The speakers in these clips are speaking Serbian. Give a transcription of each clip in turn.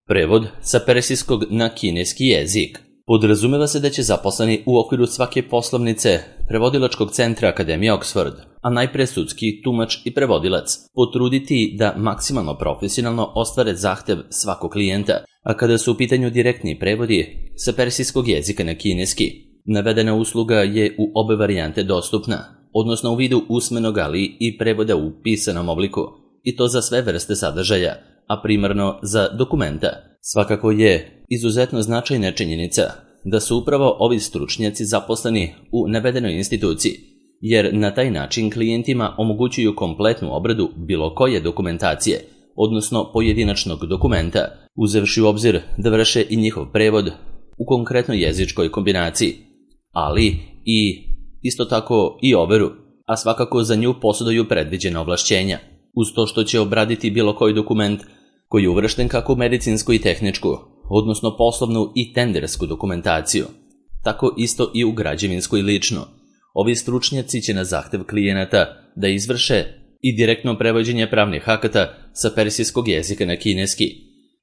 Prevod sa persijskog na kineski jezik. Podrazumeva se da će zaposleni u okviru svake poslovnice prevodilačkog centra Akademije Oxford, a najpre sudski tumač i prevodilac, potruditi da maksimalno profesionalno ostvare zahtev svakog klijenta, a kada su u pitanju direktni prevodi sa persijskog jezika na kineski, navedena usluga je u obe varijante dostupna, odnosno u vidu usmenog, ali i prevoda u pisanom obliku, i to za sve vrste sadržaja, a primarno za dokumenta. Svakako je izuzetno značajna činjenica da su upravo ovi stručnjaci zaposleni u navedenoj instituciji, jer na taj način klijentima omogućuju kompletnu obradu bilo koje dokumentacije, odnosno pojedinačnog dokumenta, uzevši u obzir da vrše i njihov prevod u konkretnoj jezičkoj kombinaciji, ali i isto tako i overu, a svakako za nju posjeduju predviđena ovlašćenja, uz to što će obraditi bilo koji dokument koji je uvršten kako u medicinsku i tehničku, odnosno poslovnu i tendersku dokumentaciju, tako isto i u građevinsku i ličnu. Ovi stručnjaci će na zahtev klijenata da izvrše i direktno prevođenje pravnih akata sa persijskog jezika na kineski.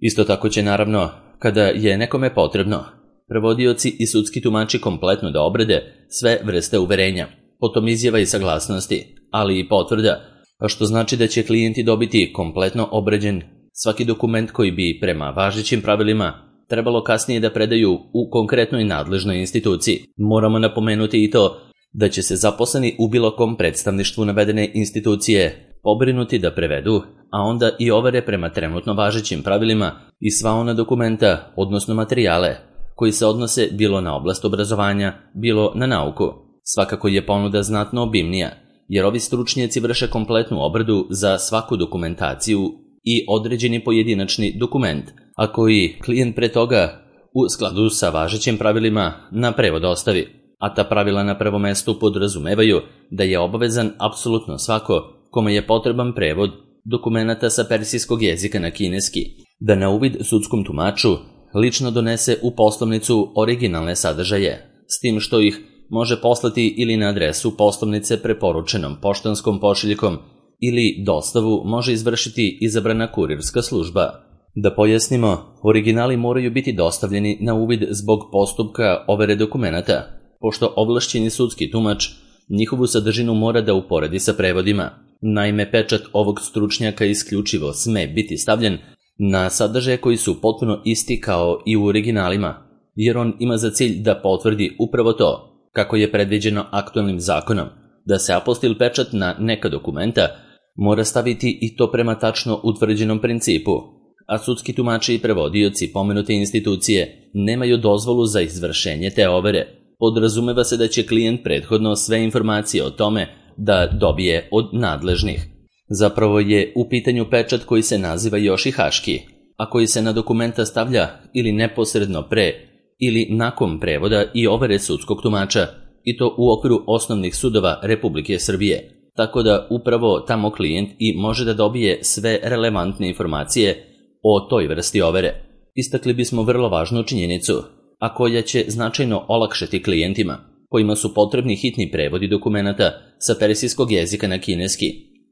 Isto tako će naravno, kada je nekome potrebno, prevodioci i sudski tumači kompletno da obrade sve vrste uverenja, potom izjava i saglasnosti, ali i potvrda, a što znači da će klijenti dobiti kompletno obrađen svaki dokument koji bi prema važećim pravilima trebalo kasnije da predaju u konkretnoj nadležnoj instituciji. Moramo napomenuti i to da će se zaposleni u bilo kom predstavništvu navedene institucije pobrinuti da prevedu, a onda i overe prema trenutno važećim pravilima i sva ona dokumenta, odnosno materijale, koji se odnose bilo na oblast obrazovanja, bilo na nauku. Svakako je ponuda znatno obimnija, jer ovi stručnjaci vrše kompletnu obradu za svaku dokumentaciju i određeni pojedinačni dokument, a koji klijent pre toga u skladu sa važećim pravilima na prevod ostavi, a ta pravila na prvom mestu podrazumevaju da je obavezan apsolutno svako kome je potreban prevod dokumenata sa persijskog jezika na kineski, da na uvid sudskom tumaču lično donese u poslovnicu originalne sadržaje, s tim što ih može poslati ili na adresu poslovnice preporučenom poštanskom pošiljkom ili dostavu može izvršiti izabrana kurirska služba. Da pojasnimo, originali moraju biti dostavljeni na uvid zbog postupka overe dokumenata, pošto ovlašćeni sudski tumač njihovu sadržinu mora da uporedi sa prevodima. Naime, pečat ovog stručnjaka isključivo sme biti stavljen na sadržaje koji su potpuno isti kao i u originalima, jer on ima za cilj da potvrdi upravo to, kako je predviđeno aktualnim zakonom, da se apostil pečat na neka dokumenta mora staviti i to prema tačno utvrđenom principu, a sudski tumači i prevodioci pomenute institucije nemaju dozvolu za izvršenje te overe. Podrazumeva se da će klijent prethodno sve informacije o tome da dobije od nadležnih. Zapravo je u pitanju pečat koji se naziva Yoshi-Haški, a koji se na dokumenta stavlja ili neposredno pre ili nakon prevoda i overe sudskog tumača, i to u okviru osnovnih sudova Republike Srbije, tako da upravo tamo klijent i može da dobije sve relevantne informacije o toj vrsti overe. Istakli bismo vrlo važnu činjenicu, a koja će značajno olakšati klijentima kojima su potrebni hitni prevodi dokumenata sa persijskog jezika na kineski.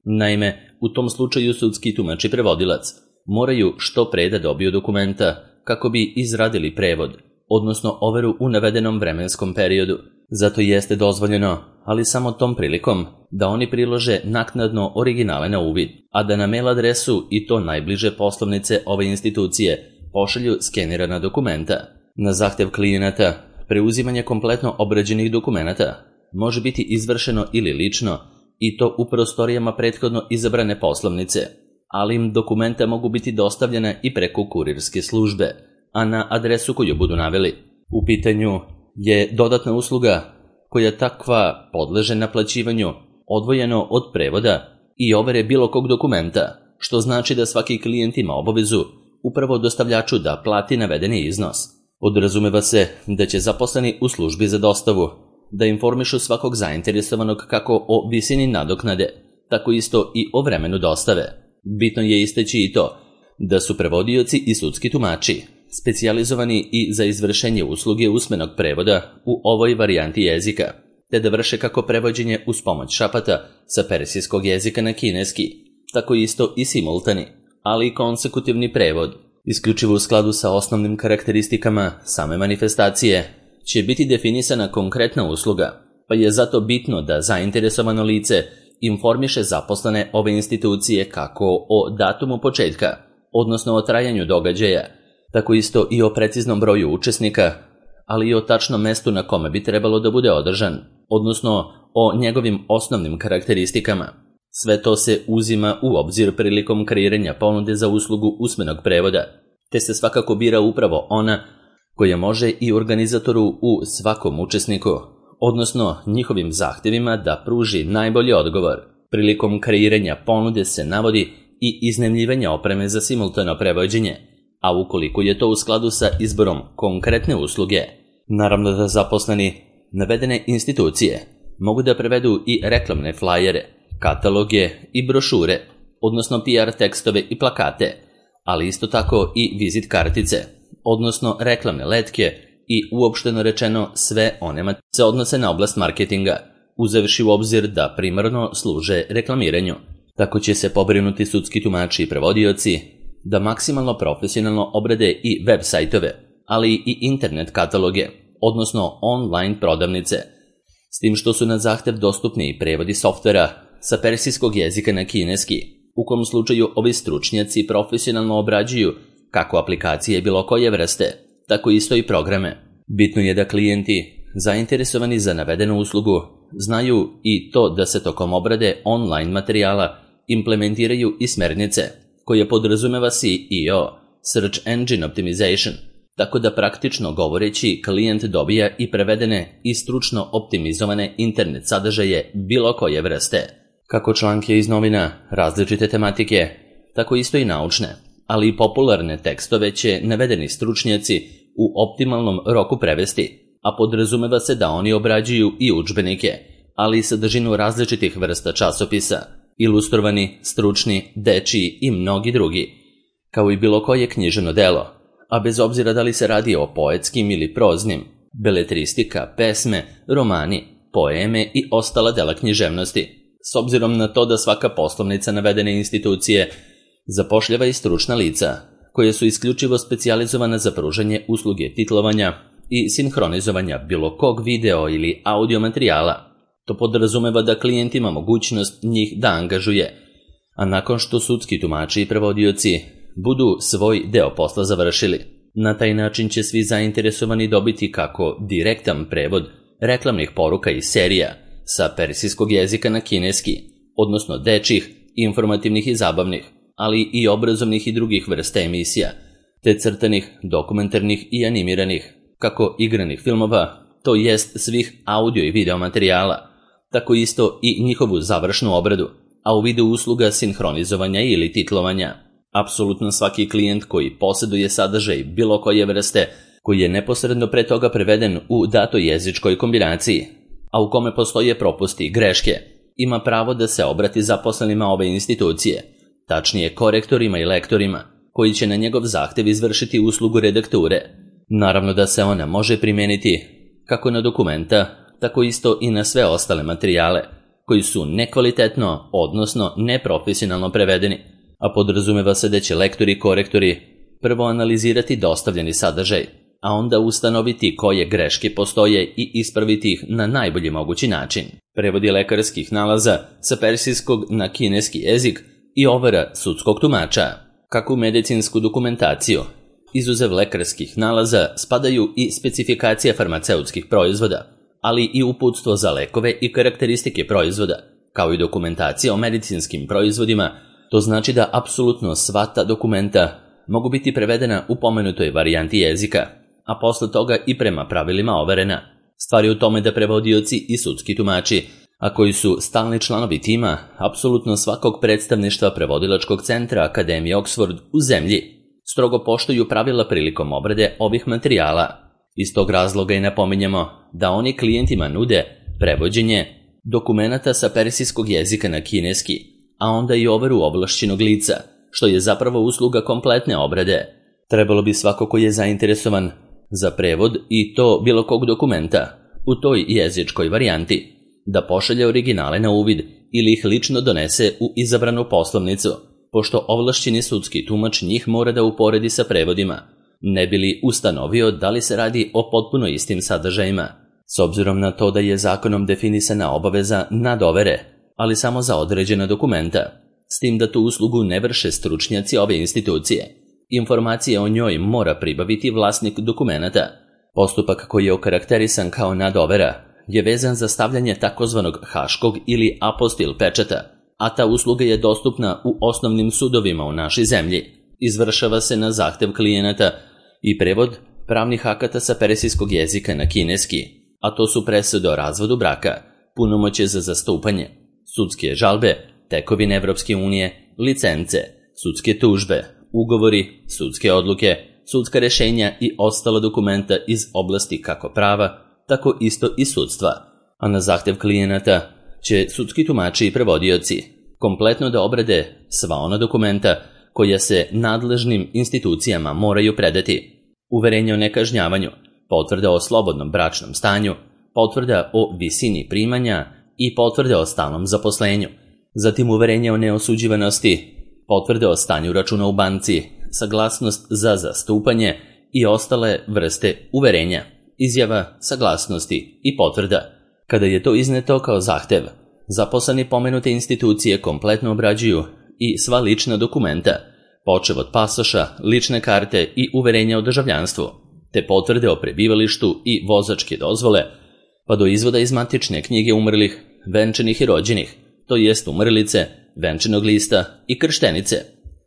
Naime, u tom slučaju sudski tumač i prevodilac moraju što pre da dobiju dokumenta kako bi izradili prevod, odnosno overu u navedenom vremenskom periodu. Zato jeste dozvoljeno, ali samo tom prilikom, da oni prilože naknadno originale na uvid, a da na mail adresu i to najbliže poslovnice ove institucije pošalju skenirana dokumenta. Na zahtev klijenata, preuzimanje kompletno obrađenih dokumenata može biti izvršeno ili lično, i to u prostorijama prethodno izabrane poslovnice, ali im dokumenta mogu biti dostavljene i preko kurirske službe, a na adresu koju budu naveli. U pitanju je dodatna usluga koja takva podleže naplaćivanju odvojeno od prevoda i overe bilo kog dokumenta, što znači da svaki klijent ima obavezu upravo dostavljaču da plati navedeni iznos. Podrazumeva se da će zaposleni u službi za dostavu da informišu svakog zainteresovanog kako o visini nadoknade, tako isto i o vremenu dostave. Bitno je istaći i to da su prevodioci i sudski tumači specijalizovani i za izvršenje usluge usmenog prevoda u ovoj varijanti jezika, te da vrše kako prevođenje uz pomoć šapata sa persijskog jezika na kineski, tako isto i simultani, ali i konsekutivni prevod, Isključivo u skladu sa osnovnim karakteristikama same manifestacije će biti definisana konkretna usluga, pa je zato bitno da zainteresovano lice informiše zaposlene ove institucije kako o datumu početka, odnosno o trajanju događaja, tako isto i o preciznom broju učesnika, ali i o tačnom mestu na kome bi trebalo da bude održan, odnosno o njegovim osnovnim karakteristikama. Sve to se uzima u obzir prilikom kreiranja ponude za uslugu usmenog prevoda, te se svakako bira upravo ona koja može i organizatoru u svakom učesniku, odnosno njihovim zahtjevima da pruži najbolji odgovor. Prilikom kreiranja ponude se navodi i iznajmljivanje opreme za simultano prevođenje, a ukoliko je to u skladu sa izborom konkretne usluge, naravno da zaposleni navedene institucije mogu da prevedu i reklamne flajere, kataloge i brošure, odnosno PR tekstove i plakate, ali isto tako i vizit kartice, odnosno reklamne letke i uopšteno rečeno sve one se odnose na oblast marketinga, uzevši u obzir da primarno služe reklamiranju. Tako će se pobrinuti sudski tumači i prevodioci da maksimalno profesionalno obrade i web sajtove, ali i internet kataloge, odnosno online prodavnice, s tim što su na zahtev dostupni i prevodi softvera sa persijskog jezika na kineski, u kom slučaju ovi stručnjaci profesionalno obrađuju kako aplikacije bilo koje vrste, tako isto i programe. Bitno je da klijenti, zainteresovani za navedenu uslugu, znaju i to da se tokom obrade online materijala implementiraju i smernice, koje podrazumeva SEO, Search Engine Optimization, tako da praktično govoreći klijent dobija i prevedene i stručno optimizovane internet sadržaje bilo koje vrste, kako članke iz novina različite tematike, tako isto i naučne, ali i popularne tekstove će navedeni stručnjaci u optimalnom roku prevesti, a podrazumeva se da oni obrađuju i udžbenike, ali i sadržinu različitih vrsta časopisa, ilustrovani, stručni, dečiji i mnogi drugi, kao i bilo koje književno delo, a bez obzira da li se radi o poetskim ili proznim, beletristika, pesme, romani, poeme i ostala dela književnosti, s obzirom na to da svaka poslovnica navedene institucije zapošljava i stručna lica, koje su isključivo specijalizovana za pružanje usluge titlovanja i sinhronizovanja bilo kog video ili audio materijala. To podrazumeva da klijent ima mogućnost njih da angažuje, a nakon što sudski tumači i prevodioci budu svoj deo posla završili. Na taj način će svi zainteresovani dobiti kako direktan prevod reklamnih poruka i serija sa persijskog jezika na kineski, odnosno dečjih, informativnih i zabavnih, ali i obrazovnih i drugih vrsta emisija, te crtanih, dokumentarnih i animiranih, kako igranih filmova, to jest svih audio i video materijala, tako isto i njihovu završnu obradu, a u vidu usluga sinhronizovanja ili titlovanja. Apsolutno svaki klijent koji posjeduje sadržaj bilo koje vrste, koji je neposredno pre toga preveden u datoj jezičkoj kombinaciji, a u kome postoje propusti i greške, ima pravo da se obrati zaposlenima ove institucije, tačnije korektorima i lektorima, koji će na njegov zahtev izvršiti uslugu redakture. Naravno da se ona može primijeniti kako na dokumenta, tako isto i na sve ostale materijale, koji su nekvalitetno, odnosno neprofesionalno prevedeni, a podrazumeva se da će lektori i korektori prvo analizirati dostavljeni sadržaj, a onda ustanoviti koje greške postoje i ispraviti ih na najbolji mogući način. Prevodi lekarskih nalaza sa persijskog na kineski jezik i overa sudskog tumača. Kako u medicinsku dokumentaciju, izuzev lekarskih nalaza, spadaju i specifikacija farmaceutskih proizvoda, ali i uputstvo za lekove i karakteristike proizvoda, kao i dokumentacija o medicinskim proizvodima. To znači da apsolutno sva ta dokumenta mogu biti prevedena u pomenutoj varijanti jezika, a posle toga i prema pravilima overena. Stvar je u tome da prevodioci i sudski tumači, a koji su stalni članovi tima apsolutno svakog predstavništva prevodilačkog centra Akademije Oxford u zemlji, strogo poštuju pravila prilikom obrade ovih materijala. Iz tog razloga i napominjemo da oni klijentima nude prevođenje dokumenata sa persijskog jezika na kineski, a onda i overu ovlašćenog lica, što je zapravo usluga kompletne obrade. Trebalo bi svako ko je zainteresovan za prevod i to bilo kog dokumenta u toj jezičkoj varijanti da pošalje originale na uvid ili ih lično donese u izabranu poslovnicu, pošto ovlašćeni sudski tumač njih mora da uporedi sa prevodima, ne bi li ustanovio da li se radi o potpuno istim sadržajima, s obzirom na to da je zakonom definisana obaveza nadovere, ali samo za određena dokumenta, s tim da tu uslugu ne vrše stručnjaci ove institucije. Informacije o njoj mora pribaviti vlasnik dokumenata. Postupak koji je okarakterisan kao nadovera je vezan za stavljanje takozvanog haškog ili apostil pečata, a ta usluga je dostupna u osnovnim sudovima u našoj zemlji. Izvršava se na zahtev klijenata i prevod pravnih akata sa persijskog jezika na kineski, a to su presude o razvodu braka, punomoćje za zastupanje, sudske žalbe, tekovine Evropske unije, licence, sudske tužbe, ugovori, sudske odluke, sudska rešenja i ostala dokumenta iz oblasti kako prava, tako isto i sudstva, a na zahtev klijenata će sudski tumači i prevodioci kompletno da obrade sva ona dokumenta koja se nadležnim institucijama moraju predati: uverenje o nekažnjavanju, potvrda o slobodnom bračnom stanju, potvrda o visini primanja i potvrda o stalnom zaposlenju, zatim uverenje o neosuđivanosti, potvrde o stanju računa u banci, saglasnost za zastupanje i ostale vrste uverenja, izjava, saglasnosti i potvrda. Kada je to izneto kao zahtev, zaposleni pomenute institucije kompletno obrađuju i sva lična dokumenta, počev od pasoša, lične karte i uverenja o državljanstvu, te potvrde o prebivalištu i vozačke dozvole, pa do izvoda iz matične knjige umrlih, venčanih i rođenih, to jest umrlice, venčanog lista i krštenice,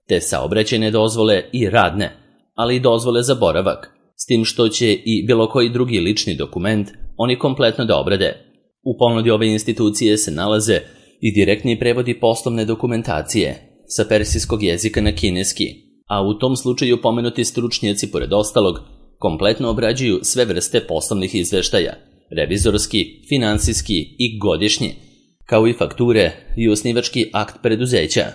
te saobraćajne dozvole i radne, ali i dozvole za boravak, s tim što će i bilo koji drugi lični dokument oni kompletno da obrade. U ponudi ove institucije se nalaze i direktni prevodi poslovne dokumentacije sa persijskog jezika na kineski, a u tom slučaju pomenuti stručnjaci, pored ostalog, kompletno obrađuju sve vrste poslovnih izveštaja, revizorski, finansijski i godišnji, kao i fakture i osnivački akt preduzeća,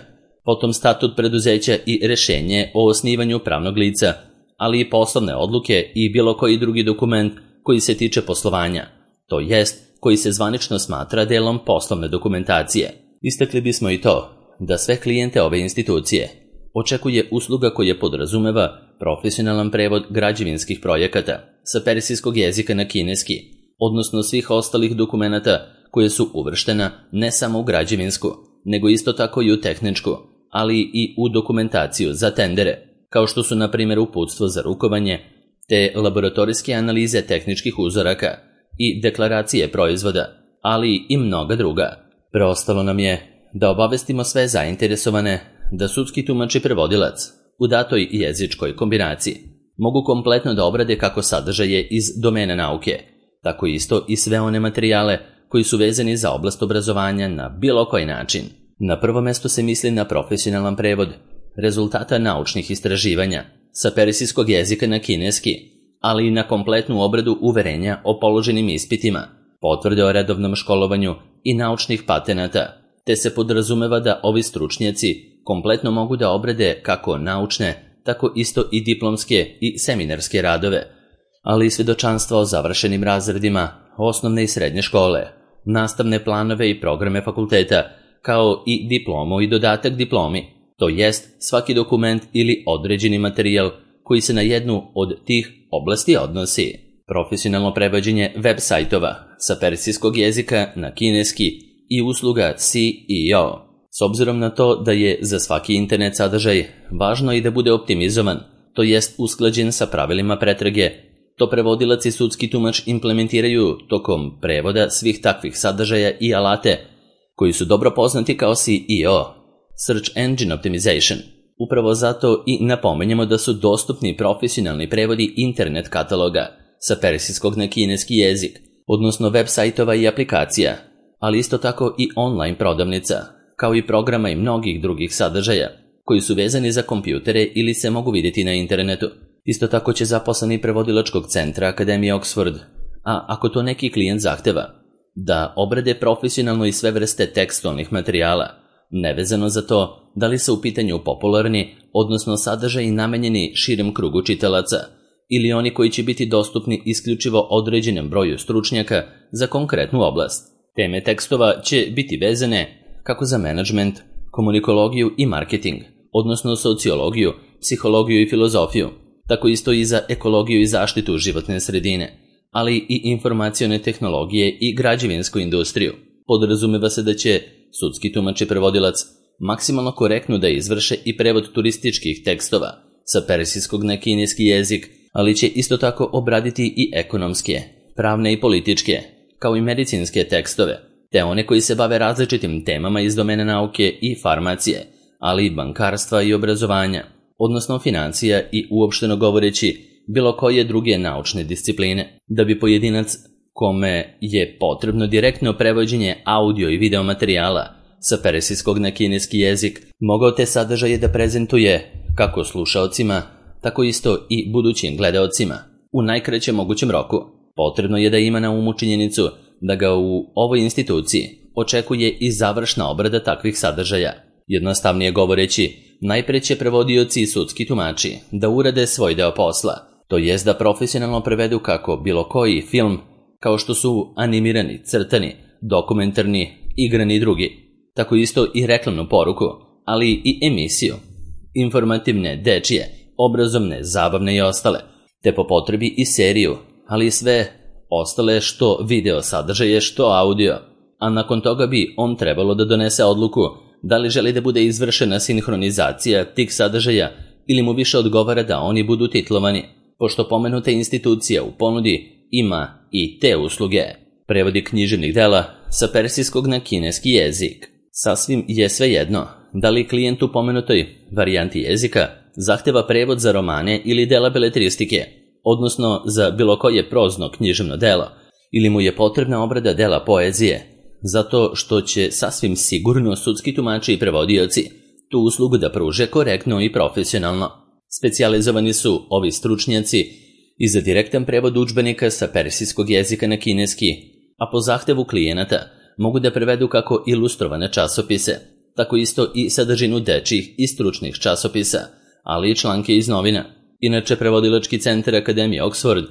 potom statut preduzeća i rešenje o osnivanju pravnog lica, ali i poslovne odluke i bilo koji drugi dokument koji se tiče poslovanja, to jest koji se zvanično smatra delom poslovne dokumentacije. Istakli bismo i to da sve klijente ove institucije očekuje usluga koja podrazumeva profesionalan prevod građevinskih projekata sa persijskog jezika na kineski, odnosno svih ostalih dokumenata koje su uvrštena ne samo u građevinsku, nego isto tako i u tehničku, ali i u dokumentaciju za tendere, kao što su na primjer uputstvo za rukovanje, te laboratorijske analize tehničkih uzoraka i deklaracije proizvoda, ali i mnoga druga. Preostalo nam je da obavestimo sve zainteresovane da sudski tumač i prevodilac u datoj jezičkoj kombinaciji mogu kompletno da obrade kako sadržaje iz domena nauke, tako isto i sve one materijale koji su vezani za oblast obrazovanja na bilo koji način. Na prvo mesto se misli na profesionalan prevod rezultata naučnih istraživanja sa persijskog jezika na kineski, ali i na kompletnu obradu uverenja o položenim ispitima, potvrde o redovnom školovanju i naučnih patenata, te se podrazumeva da ovi stručnjaci kompletno mogu da obrade kako naučne, tako isto i diplomske i seminarske radove, ali i svedočanstva o završenim razredima osnovne i srednje škole, nastavne planove i programe fakulteta, kao i diplomu i dodatak diplomi, to jest svaki dokument ili određeni materijal koji se na jednu od tih oblasti odnosi. Profesionalno prevođenje web sajtova sa persijskog jezika na kineski i usluga SEO. S obzirom na to da je za svaki internet sadržaj važno i da bude optimizovan, to jest usklađen sa pravilima pretrage, to prevodilac i sudski tumač implementiraju tokom prevoda svih takvih sadržaja i alate koji su dobro poznati kao SEO, Search Engine Optimization. Upravo zato i napomenjamo da su dostupni profesionalni prevodi internet kataloga sa persijskog na kineski jezik, odnosno web sajtova i aplikacija, ali isto tako i online prodavnica, kao i programa i mnogih drugih sadržaja koji su vezani za kompjutere ili se mogu vidjeti na internetu. Isto tako će zaposleni prevodilačkog centra Akademije Oxford, a ako to neki klijent zahteva, da obrade profesionalno i sve vrste tekstualnih materijala, nevezano za to da li su u pitanju popularni, odnosno sadržaji namenjeni širem krugu čitalaca, ili oni koji će biti dostupni isključivo određenom broju stručnjaka za konkretnu oblast. Teme tekstova će biti vezane kako za menadžment, komunikologiju i marketing, odnosno sociologiju, psihologiju i filozofiju, tako isto i za ekologiju i zaštitu životne sredine, ali i informacione tehnologije i građevinsku industriju. Podrazumeva se da će sudski tumač i prevodilac maksimalno korektno da izvrše i prevod turističkih tekstova sa persijskog na kineski jezik, ali će isto tako obraditi i ekonomske, pravne i političke, kao i medicinske tekstove, te one koji se bave različitim temama iz domena nauke i farmacije, ali i bankarstva i obrazovanja, odnosno financija i uopšteno govoreći bilo koje druge naučne discipline, da bi pojedinac kome je potrebno direktno prevođenje audio i video materijala sa persijskog na kineski jezik mogao te sadržaje da prezentuje kako slušaocima, tako isto i budućim gledaocima u najkraćem mogućem roku. Potrebno je da ima na umu činjenicu da ga u ovoj instituciji očekuje i završna obrada takvih sadržaja. Jednostavnije govoreći, najpre će prevodioci i sudski tumači da urade svoj deo posla, to jest da profesionalno prevedu kako bilo koji film, kao što su animirani, crtani, dokumentarni, igrani i drugi, tako isto i reklamnu poruku, ali i emisiju, informativne, dečije, obrazovne, zabavne i ostale, te po potrebi i seriju, ali i sve ostale što video sadržaje, što audio, a nakon toga bi on trebalo da donese odluku da li želi da bude izvršena sinhronizacija tih sadržaja ili mu više odgovara da oni budu titlovani, pošto pomenuta institucija u ponudi ima i te usluge. Prevodi književnih dela sa persijskog na kineski jezik. Sasvim je svejedno da li klijent u pomenutoj varijanti jezika zahteva prevod za romane ili dela beletristike, odnosno za bilo koje prozno književno delo, ili mu je potrebna obrada dela poezije, zato što će sasvim sigurno sudski tumači i prevodioci tu uslugu da pruže korektno i profesionalno. Specijalizovani su ovi stručnjaci i za direktan prevod udžbenika sa persijskog jezika na kineski, a po zahtevu klijenata mogu da prevedu kako ilustrovane časopise, tako isto i sadržinu dečjih i stručnih časopisa, ali i članke iz novina. Inače, prevodilački centar Akademije Oxford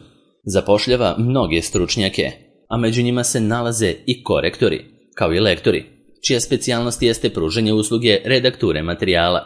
zapošljava mnoge stručnjake, a među njima se nalaze i korektori, kao i lektori, čija specijalnost jeste pružanje usluge redakture materijala.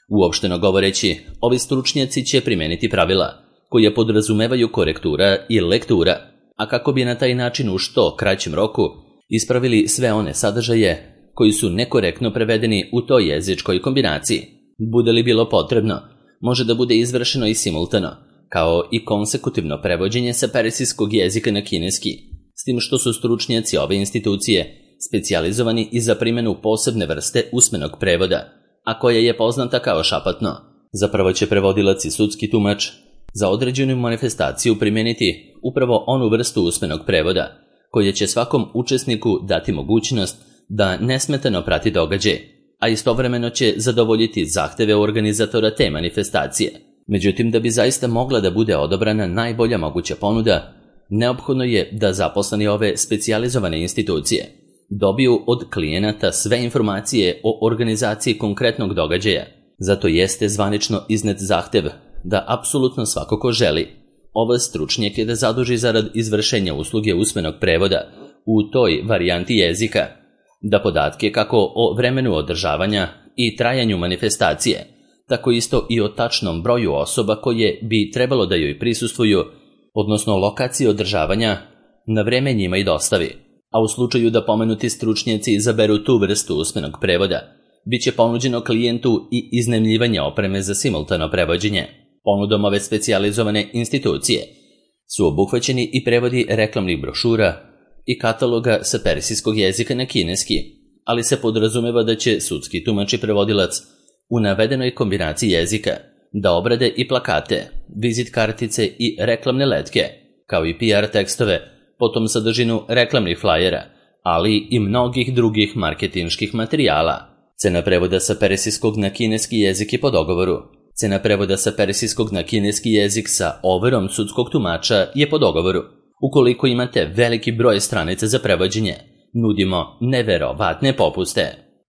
Uopšteno govoreći, ovi stručnjaci će primeniti pravila koja podrazumevaju korektura i lektura, a kako bi na taj način u što kraćem roku ispravili sve one sadržaje koji su nekorektno prevedeni u toj jezičkoj kombinaciji. Bude li bilo potrebno, može da bude izvršeno i simultano, kao i konsekutivno prevođenje sa persijskog jezika na kineski, s tim što su stručnjaci ove institucije specijalizovani i za primjenu posebne vrste usmenog prevoda, a koja je poznata kao šapatno. Zapravo će prevodilac i sudski tumač za određenu manifestaciju primijeniti upravo onu vrstu usmenog prevoda, koja će svakom učesniku dati mogućnost da nesmetano prati događaj, a istovremeno će zadovoljiti zahteve organizatora te manifestacije. Međutim, da bi zaista mogla da bude odabrana najbolja moguća ponuda, neophodno je da zaposleni ove specijalizovane institucije dobiju od klijenata sve informacije o organizaciji konkretnog događaja. Zato jeste zvanično iznet zahtev da apsolutno svako ko želi ove stručnjake da zaduži zarad izvršenja usluge usmenog prevoda u toj varijanti jezika, da podatke kako o vremenu održavanja i trajanju manifestacije, tako isto i o tačnom broju osoba koje bi trebalo da joj prisustvuju, odnosno lokaciji održavanja, na vreme njima i dostavi. A u slučaju da pomenuti stručnjaci izaberu tu vrstu usmenog prevoda, bit će ponuđeno klijentu i iznajmljivanje opreme za simultano prevođenje. Ponudom ove specijalizovane institucije su obuhvaćeni i prevodi reklamnih brošura i kataloga sa persijskog jezika na kineski, ali se podrazumeva da će sudski tumač i prevodilac u navedenoj kombinaciji jezika da obrade i plakate, vizit kartice i reklamne letke, kao i PR tekstove, potom sadržinu reklamnih flajera, ali i mnogih drugih marketinških materijala. Cena prevoda sa persijskog na kineski jezik je po dogovoru. Cena prevoda sa persijskog na kineski jezik sa overom sudskog tumača je po dogovoru. Ukoliko imate veliki broj stranica za prevođenje, nudimo neverovatne popuste.